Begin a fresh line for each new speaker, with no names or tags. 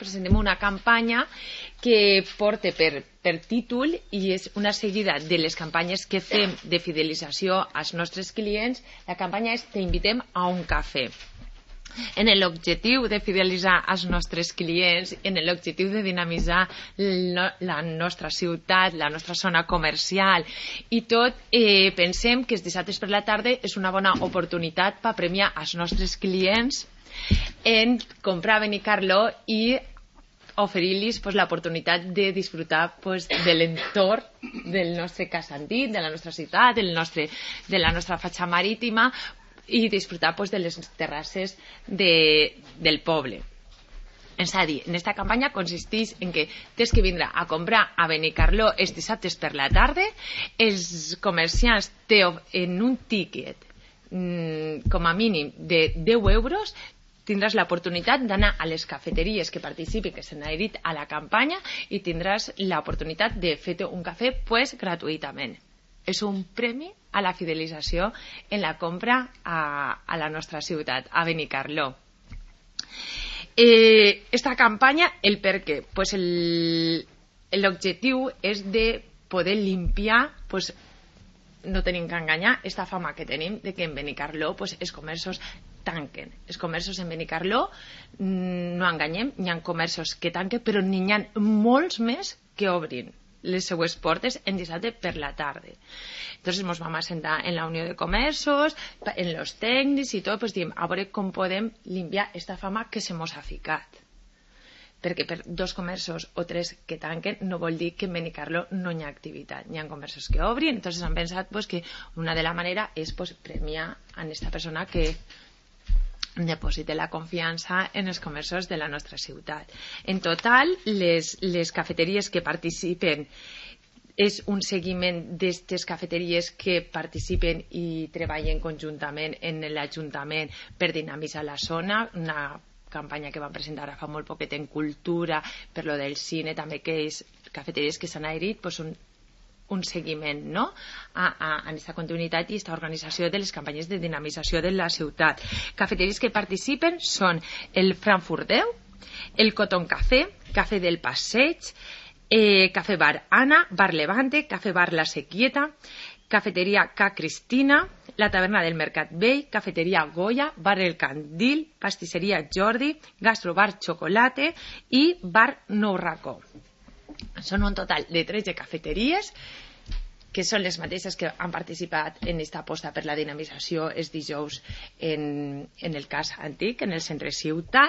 presentem una campanya que porta per títol i és una seguida de les campanyes que fem de fidelització als nostres clients. La campanya és T'invitem a un cafè. En l'objectiu de fidelitzar els nostres clients, en l'objectiu de dinamitzar la nostra ciutat, la nostra zona comercial i tot, pensem que els dissabtes per la tarda és una bona oportunitat per premiar els nostres clients en comprar a Benicarló i oferir-los l'oportunitat de disfrutar de l'entorn del nostre casc antic, de la nostra ciutat, de la nostra fatxa marítima, i disfrutar de les terrasses del poble. És a dir, aquesta campanya consisteix en que tens que vindre a comprar a Benicarló els dissabtes per la tarda. Els comerciants en un tíquet com a mínim de 10 euros tindràs l'oportunitat d'anar a les cafeteries que participen, que s'han adherit a la campanya, i tindràs l'oportunitat de fer-te un cafè gratuïtament. És un premi a la fidelització en la compra a la nostra ciutat, a Benicarló. Esta campanya, el per què? L'objectiu és de poder limpiar, no tenim que enganyar, esta fama que tenim de que en Benicarló els comerços tanquen. Els comerços en Benicarló, no enganyem, hi ha comerços que tanquen, però n'hi ha molts més que obrin les seues portes en dissabte per la tarda. Entonces ens vam assentar en la Unió de Comerços, en els tècnics i tot, diem, a veure com podem limpiar esta fama que se mos ha ficat. Perquè per 2 comerços o 3 que tanquen no vol dir que en Benicarló no hi ha activitat. Hi ha comerços que obrin, entonces han pensat que una de la manera és premiar a aquesta persona que deposite la confiança en els comerços de la nostra ciutat. En total, les cafeteries que participen és un seguiment d'aquestes cafeteries que participen i treballen conjuntament en l'Ajuntament per dinamitzar la zona, una campanya que vam presentar fa molt poquet en cultura, per lo del cine, també que és cafeteries que s'han adherit, són un seguiment, no?, a aquesta continuïtat i aquesta organització de les campanyes de dinamització de la ciutat. Cafeteries que participen són el Frankfurt 10, el Cotton Café, Café del Passeig, Café Bar Anna, Bar Levante, Café Bar La Sequieta, Cafeteria Ca Cristina, la Taverna del Mercat Vell, Cafeteria Goya, Bar El Candil, Pastisseria Jordi, Gastrobar Chocolate i Bar Nou Racó. Són un total de 13 cafeteries que són les mateixes que han participat en aquesta aposta per la dinamització els dijous en el casc antic, en el centre ciutat.